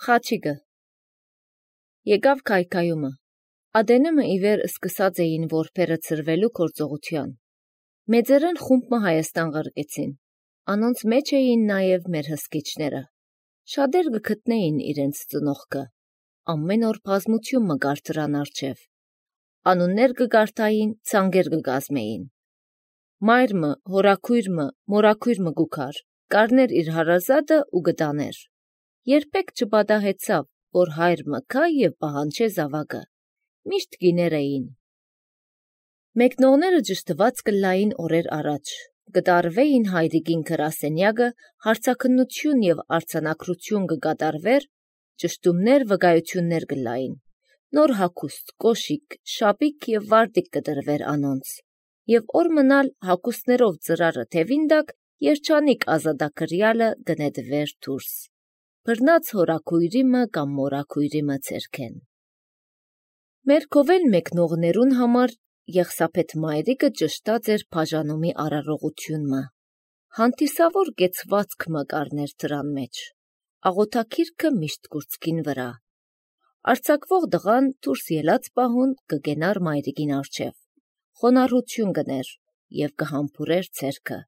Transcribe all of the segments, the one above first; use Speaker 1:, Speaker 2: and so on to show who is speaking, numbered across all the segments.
Speaker 1: Խաչիգը Եկավ քայքայումը։ Ադենումը իվեր սկսած էին որբերը ծրվելու գործողության։ Մեծերեն խումբը Հայաստան ղրկեցին։ Անոնց մեջ էին նաև մեր հսկիչները։ Շատեր գտնեին իրենց ծնողքը։ Ամեն օր բազմություն մգար դրան առջև։ Անուններ կգարտային, ցանգեր կգազմեին։ Մայրմը, հորաքույրմը, մորաքույրմը գուքար, կարներ իր հարազատը ու գտաներ։ Երբեք չպատահեցավ, որ հայր մքա եւ պահանջե զավակը։ Միշտ գիներ էին։ Մեկնողները ճշտված կլային օրեր առաջ, կտարվեին հայրիկին գրասենյակը, հարցաքննություն եւ արձանագրություն կկատարվեր, ճշտումներ վկայություններ կլային։ Նոր հագուստ, կոշիկ, շապիկ եւ վարտիք կտրվեր անոնց, եւ օր մնալ հագուստներով ծրարը թևին տակ երջանիկ ազատագրյալը կնետվեր դուրս։ Բռնած հորաքույրիմը կամ մորաքույրիմը ցերքեն։ Մեր կովել մեկնողներուն համար Եղսափետ մայրիկը ճշտած էր բաժանումի արարողությունը։ Հանդիսավոր կեցվածք մկարներ դրան մեջ։ Աղոթակիրքը միշտ կուրծքին վրա։ Արձակվող դղան դուրս ելած պահուն կգենար մայրիկին առջև։ Խոնարհություն կներ եւ կհամբուրեր ցերքը։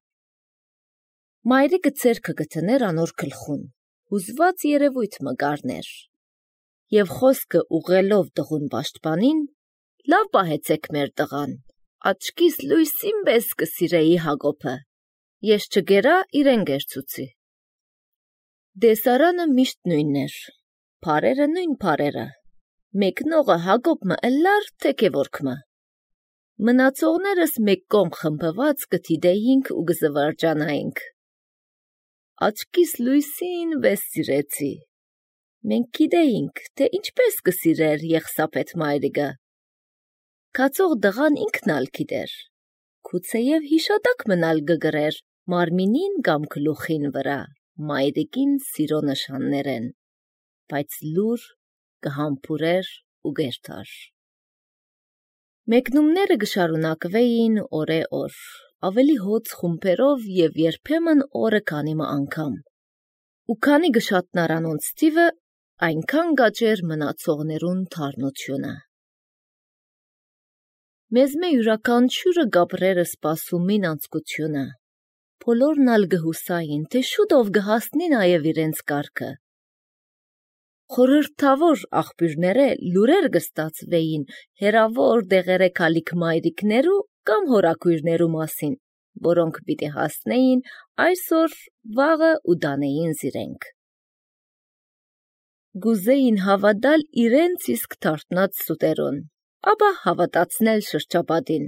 Speaker 1: Մայրիկը ցերքը գտներ անոր գլխուն։ Հուզված երևույթ մկարներ։ Եվ խոսքը ուղելով տղուն պաշտպանին, լավ պահեցեք մեր տղան, աչքիս լույսին պես կսիրեի Հակոբը, ես չգերա իրեն գերցուցի։ Դեսարանը միշտ նույնն էր, փարերը նույն փարերը, մեկնողը Հակոբը ըլլար թեքևորքմը։ Մնացողներս մեկ կողմ խմբված կթիդեինք ու կզվարջանայինք։ Աչքիս լույսին պես սիրեցի։ Մենք գիտեինք, թե ինչպես կսիրեր Եղսափետ մայրիկը։ Կացող դղան ինքն ալ գիտեր։ Գուցեև հիշատակ մնալ կգրեր մարմինին կամ գլուխին վրա մայրիկին սիրո նշաններեն, բայց լուր կհամբուրեր ու գերտար։ Մեկնումները կշարունակվեին օրե-օր, ավելի հոծ խումբերով եւ երբեմն օրը քանիմը անգամ։ Ու քանի գշատնար անոնց թիվը, այնքան գաճեր մնացողներուն թարնությունը։ Մեզ մե յուրաքանչյուրը գաբրերը սպասումին անցկությունը։ Բոլորն ալ գհուսային, թե շուտով կհասնի նաև իրենց կարգը։ Խորհրդավոր աղբյուրները լուրեր կստացվեին հերավոր դեղերը քալիք մայրիկներու կամ հորաքույրներու մասին, որոնք պիտի հասնեին այսօր վաղը ու դանեին զիրենք։ Գուզեին հավատալ իրենց իսկ թարտնած սուտերուն, ապա հավատացնել շրջապատին,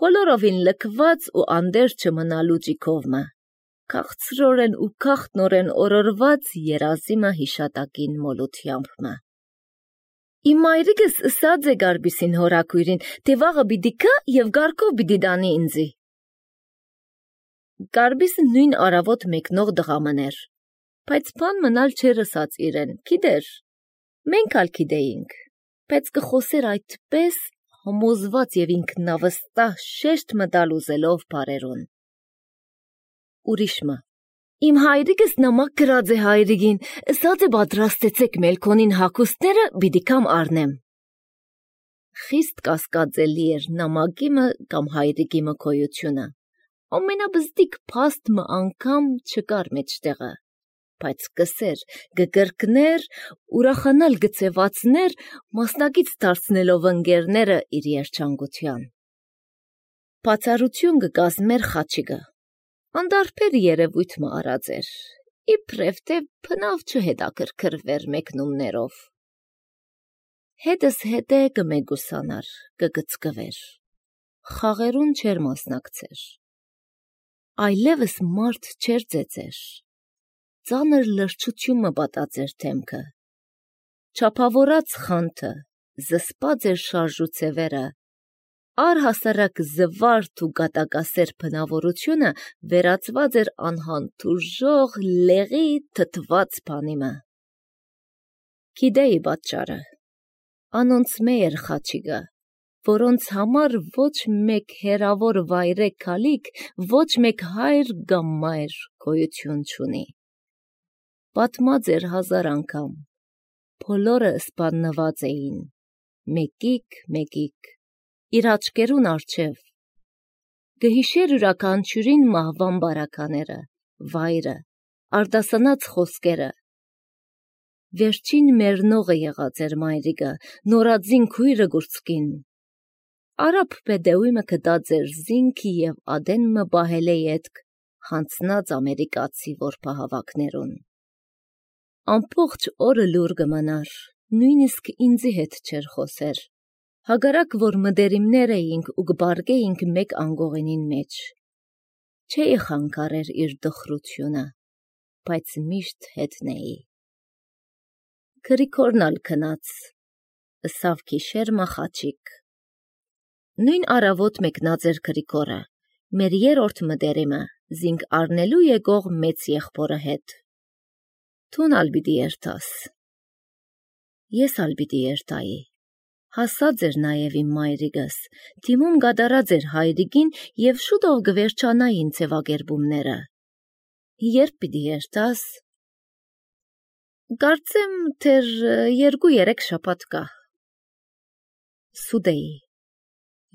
Speaker 1: բոլորովին լքված ու անդեր չմնալու ճիքովմը, քաղցրորեն ու քաղտնորեն օրորված երազիմը հիշատակին մոլությամբմը։ Իմ մայրիկս ըսած է գարբիսին հորաքույրին, թե վաղը պիտի գա եւ գարկով պիտի դանի ինձի։ Գարբիսը նույն արավոտ մեկնող դղամն էր, բայց բան մնալ չէր ըսած իրեն, գիտեր, մենք ալ գիտեինք, բայց կխոսեր այդպես համոզված եւ ինքնավստահ շեշտ մտալ ուզելով բարերուն։ Ուրիշմը. Իմ հայրիկս նամակ գրած է հայրիկին, ըսած է պատրաստեցեք մելքոնին հագուստները պիտի կամ առնեմ։ Խիստ կասկածելի էր նամակիմը կամ հայրիկիմը գոյությունը։ Ամենաբզդիկ փաստմը անգամ չկար մեջտեղը, բայց կսեր, կկրկներ, ուրախանալ գծեվածներ, մասնակից դարձնելով ընկերները իր երջանկության։ Բացառություն կկազմեր Խաչիգը։ Անդարբեր երևույթ արած էր, իբրև թե բնավ չհետաքրքրվեր մեկնումներով։ Հետս հետե կմեգուսանար, կգծկվեր, խաղերուն չեր մասնակցեր, այլևս մարդ չեր ծեծեր, ծանր լրջությունը պատած էր թեմքը, չափավորած խանթը, զսպած էր շարժուցևերը, առհասարակ զվարթ ու գատակասեր բնավորությունը վերածված էր անհանդուրժող լեղի թթված բանիմը։ Գիտեի պատճառը։ Անոնց էր Խաչիգը, որոնց համար ոչ մեկ հերավոր վայրե քալիք, ոչ մեկ հայր կամ մայր գոյություն չունի։ Պատմած էր 1000 անգամ, բոլորը սպաննված էին, մեկիկ, իր աչքերուն առջև, գհիշեր յուրաքանչյուրին մահվան բարակաները, վայրը, արդասանած խոսքերը, վերջին մեռնողը եղած էր մայրիկը, նորածին քույրը գուրցկին, Արաբ պեդեույմը կդած էր զինքի և ադենմը բահել է ետք հանցնած ամերիկացի որպահավակներուն։ Ամբողջ օրը լուր կմնար, նույնիսկ ինձի հետ չեր խոսեր, հագարակ որ մդերիմներ էինք ու կբարգեինք մեկ անգողենին մեջ։ Չէի խանգարեր իր դխրությունը, բայց միշտ հետն էի։ Գրիգորն ալ քնած, ըսավ գիշերմա Խաչիկ։ Նույն առավոտ մեկնած էր Գրիգորը, մեր երրորդ մդերիմը, զինք առնելու եկող մեծ եղբորը հետ։ Տուն ալ պիտի երթաս։ Ես ալ պիտի երթայի։ Հասած էր նաև իմ մայրիկս, թիմում գադարած էր հայրիկին և շուտով կվերջանային ձևակերպումները։ Երբ պիտի երթաս։ Կարծեմ թեր 2-3 շաբաթ կա։ Սուտ էի։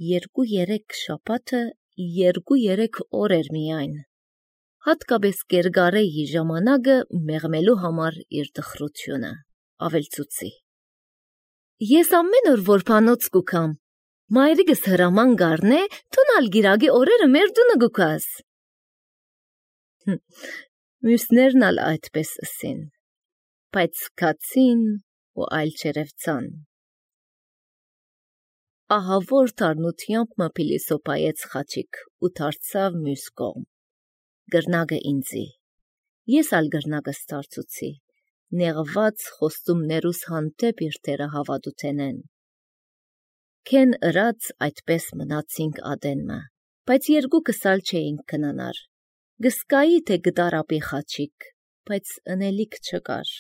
Speaker 1: 2-3 շաբաթը 2-3 օր էր միայն։ Հատկապես կերգարեի ժամանակը մեղմելու համար իր դխրությունը, ավելցուցի։ Ես ամեն օր որբանոց կուքամ, մայրիկս հրաման գարնե, թունալ գիրագի օրերը մեր դունը գուքաս։ Մյուսներն ալ այդպես ըսին, բայց կացին ու այլ չերևցան։ Ահավոր թարնությամբ մը փիլիսոփայեց Խաչիկ ու դարձավ մյուս կողմ։ Գրնագը ինձի, ես ալ գրնագս դարձուցի, նեղված խոստումներուս հանդեպ իր թերը հավատութենեն։ Քեն ըրած այդպես մնացինք ադենմը, բայց երկուքս ալ չէինք կնանար։ Գսկայի թե գտարապի Խաչիկ, բայց ընելիք չկար։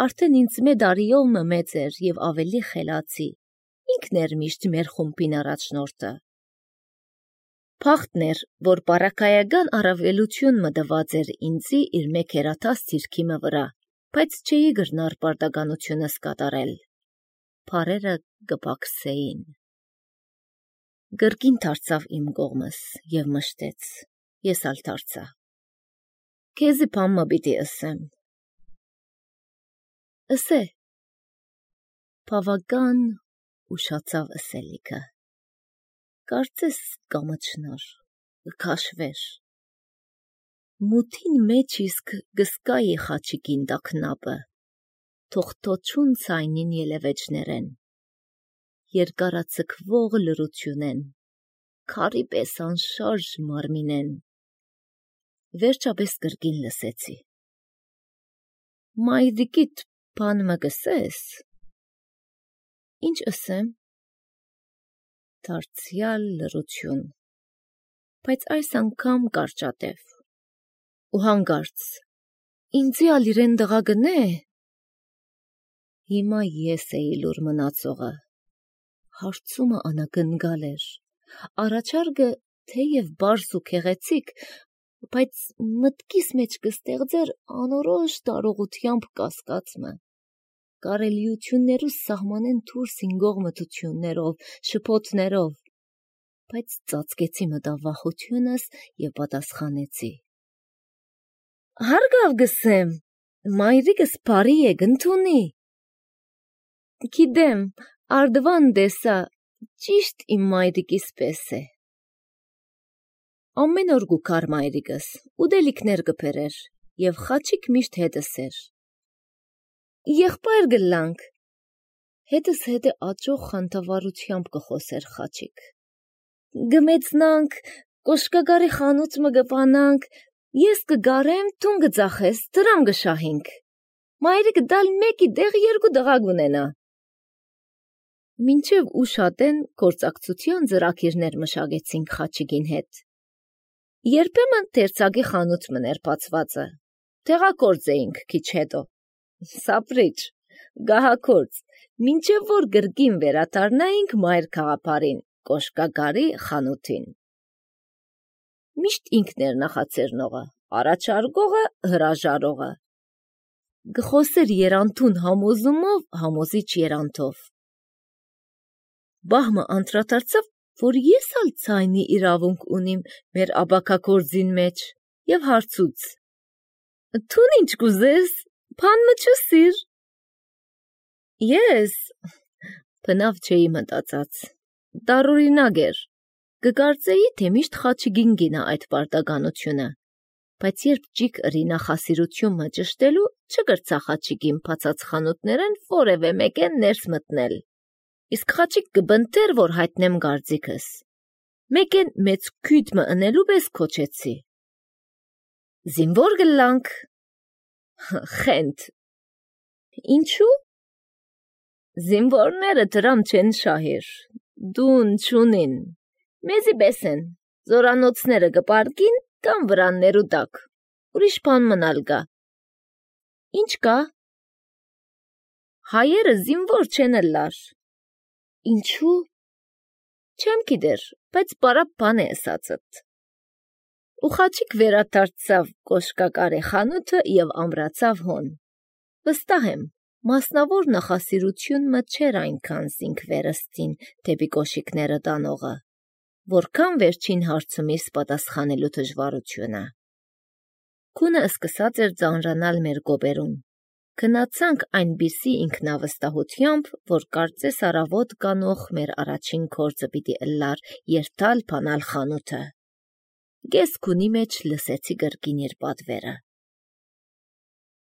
Speaker 1: Արդեն ինձ մեդարիով մը մեծ էր և ավելի խելացի, ինքն էր միշտ մեր խումբին առաջնորդը։ Փախտն էր, որ պարակայական առավելություն մտված էր ինձի իր մեկ հերաթաս թիրքիմը վրա, բայց չէի գրնար պարտականությունս կատարել։ Փարերը կպակսեին։ Գրկին դարձավ իմ կողմս և մշտեց, ես ալ դարձա։ Քեզի բան մը պիտի ըսեմ։ Ըսե։ Բավական ուշացավ ըսելիքը։ Կարծես կամչնար, կքաշվեր։ Մութին մեջ իսկ գսկայի Խաչիկին տակնապը, թողտոչուն ցայնին ելևեջներեն, երկարացկվող լրությունեն, քարի պես անշարժ մարմինեն, վերջապես կրկին լսեցի։ Մայրիկիդ բան մը կսես։ Ինչ ըսեմ։ Դարձյալ լրություն, բայց այս անգամ կարճատև ու հանգարց, ինձի ալ իրեն դղա գնե։ Հիմա ես էի լուր մնացողը, հարցումը անակնկալ էր, առաջարկը թեև բարս ու քեղեցիկ, բայց մտքիս մեջ կստեղծեր անորոշ տարողությամբ կասկածմը, կարելիություններուս սահմանեն դուրս ինգող մտություններով, շփոթներով, բայց ծածկեցի մտավախությունս և պատասխանեցի. Հարգավ գսեմ, մայրիկս բարի է գնդունի։ Գիտեմ, արդվան դեսա, ճիշտ իմ մայրիկիս պես է։ Ամեն օր գուքար մայրիկս, ուդելիքներ կբերեր, և Խաչիկ միշտ հետս էր։ Եղբայր գլանք, հետս հետը աճող խանդավառությամբ կխոսեր Խաչիկ։ Գմեցնանք, կոշկագարի խանութ մը գպանանք, ես կգարեմ, տուն կծախես, դրամ կշահինք։ Մայրիկը դալ մեկի դեղ 2 դղա գունենա։ Մինչև ուշատեն գործակցության ծրագիրներ մշակեցինք Խաչիկին հետ։ Երբեմն տերցագի խանութ մներ բացվածը, տեղակորձ էինք քիչ հետո։ Սապրիչ, գահակորձ, մինչև որ գրկին վերադառնայինք մայր քաղաքարին, կոշկագարի խանութին։ Միշտ ինքն էր նախաձեռնողը, առաջարկողը, հրաժարողը։ գխոսեր երանթուն համոզումով, համոզիչ երանթով։ Բահմը անդրադարձավ, որ ես ալ ցայնի իրավունք ունիմ մեր աբակակորձին մեջ եւ հարցուց. Թուն ինչ կուզես, փանմը չսիր։ Ես բնավ չէի մտածած, տարօրինակ էր, կկարծեի, թե միշտ խաչիգին գինա այդ պարտականությունը, բայց երբ ջիկ ըրի նախասիրությունը ճշտելու, չկրծա խաչիգին փացած խանութներեն որևէ մեկեն ներս մտնել, իսկ խաչիկ կբնտեր, որ հայտնեմ գարձիկս, մեկեն մեծ քույդմը ընելու պես քոչեցի. Զինվոր գլանք, խենթ, ինչու? Զինվորները դրամ չեն շահիր, դուն չունին, մեզի բեսեն, զորանոցները գպարկին կամ վրաններու տակ, ուրիշ բան մնալ գա։ Ինչ կա? Հայերը զինվոր չեն ըլլար։ Ինչու? Չեմ գիտեր, բայց բարապ բան է ասածըտ։ Ու խաչիկ վերադարձավ կոշկակարի խանութը եւ ամրացավ հոն։ Վստահ եմ, մասնավոր նախասիրությունը չէր այնքան զինք վերստին դեպի կոշիկները տանողը, որքան վերջին հարցումից պատասխանելու դժվարությունը։ Քունը սկսած էր ծանրանալ մեր գոբերուն։ Գնացանք այնպիսի ինքնավստահությամբ, որ կարծես առավոտ կանող մեր առաջին գործը պիտի ըլլար երթալ բանալ խանութը։ Գես քունի մեջ լսեցի գրկին իր պատվերը։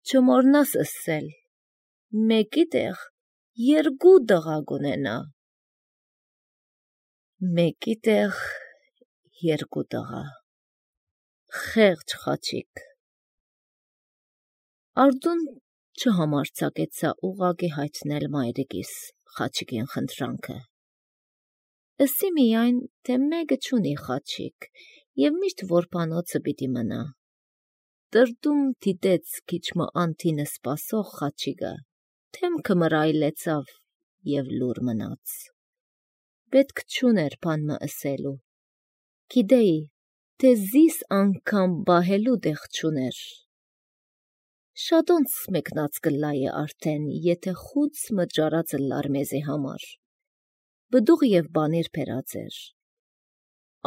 Speaker 1: Չմոռնաս ըսել, մեկի տեղ երկու դղա կունենա։ Մեկի տեղ երկու դղա։ Խեղճ խաչիկ։ Արդուն չհամարձակեցա ուղղակի հայտնել մայրիկիս խաչիկին խնդրանքը։ Ըսի միայն, թե մեկը չունի խաչիկ եւ միշտ որբանոցը պիտի մնա։ Տրտում դիտեց քիչմը անթինը սպասող խաչիկը, թեմքը մռայլեցավ եւ լուր մնաց։ Պետք չուներ բանմը ըսելու։ Գիտեի, թե զիս անգամ բահելու տեղ չուներ։ Շատոնց մեկնած կլայը արդեն, եթե խուց մճարածը լար մեզի համար։ Բդուղ եւ բանիր փերած էր։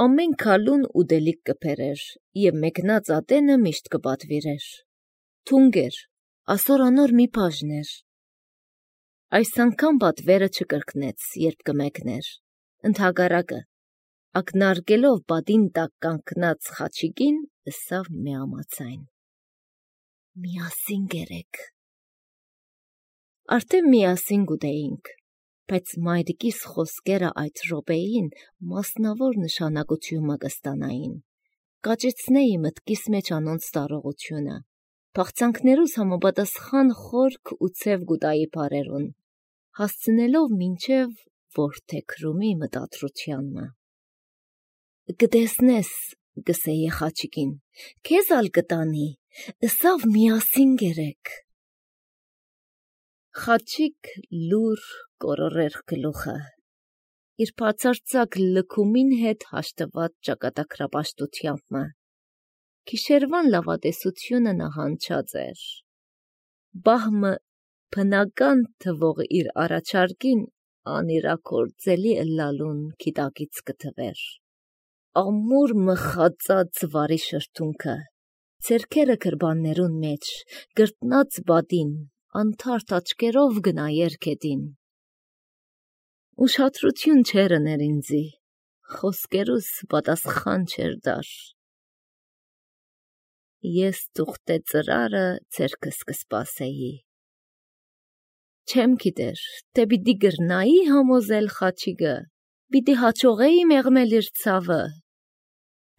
Speaker 1: Ամեն քալուն ուդելիք կփերեր եւ մեկնած ատենը միշտ կպատվիրեր։ Թունգեր, ասորանոր մի բաժներ։ Այս անգամ պատվերը չկրկնեց, երբ կմեկներ։ Ընդհակառակը, ակնարկելով պատին տակ կանգնած խաչիկին, ըսավ միամացայն. Միասին գերեք։ Արդեն միասին գուտեինք, բայց մայրիկիս խոսքերը այդ րոպեին մասնավոր նշանակությունը կստանային։ Կաճեցնեի մտքիս մեջ անոնց տարողությունը, փախցանքներուս համապատասխան խորք ու ցև գուտայի բարերուն, հասցնելով մինչև որդեքրումի մտադրությանն։ Կտեսնես, գսեի խաչիկին, քեզ ալ կտանի, ըսավ միասին գերեք։ Խաչիկ լուր կորորեր գլուխը, իր բացարձակ լքումին հետ հաշտված ճակատագրապաշտությամբ։ Գիշերվան լավատեսությունը նահանջած էր։ Բահմը բնական թվող իր առաջարկին անիրակորձելի ըլլալուն գիտակից կթվեր։ Ամուր մխածած վարի շրթունքը, ձեռքերը գրբաններուն մեջ, գրտնած բադին, անթարթ աչքերով գնայեր գետին։ Ուշադրություն չեր ըներ ինձի, խոսքերուս պատասխան չեր դար։ Ես թուղթե ծրարը ձեռքս կսպասեի։ Չեմ գիտեր, թե պիտի գրնայի համոզել խաչիկը, պիտի հաջողեի մեղմել իր ցավը,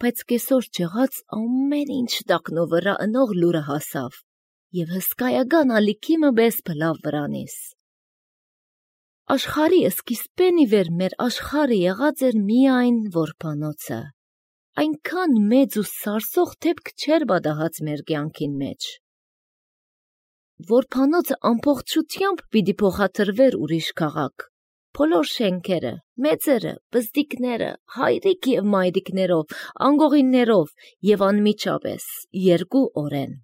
Speaker 1: բայց կեսօր չեղած ամեն ինչ տակնո վրա ընող լուրը հասավ եւ հսկայական ալիքիմը բես բլավ վրանիս։ Աշխարհի սկիզբեն ի վեր մեր աշխարհը եղած էր միայն որբանոցը, այնքան մեծ ու սարսող դեպք չէր պատահած մեր կյանքին մեջ։ Որբանոցը ամբողջությամբ պիտի փոխադրվեր ուրիշ քաղաք, բոլոր շենքերը, մեծերը, բզդիկները, հայրիկ եւ մայրիկներով, անգողիններով եւ անմիջապես 2 օրեն։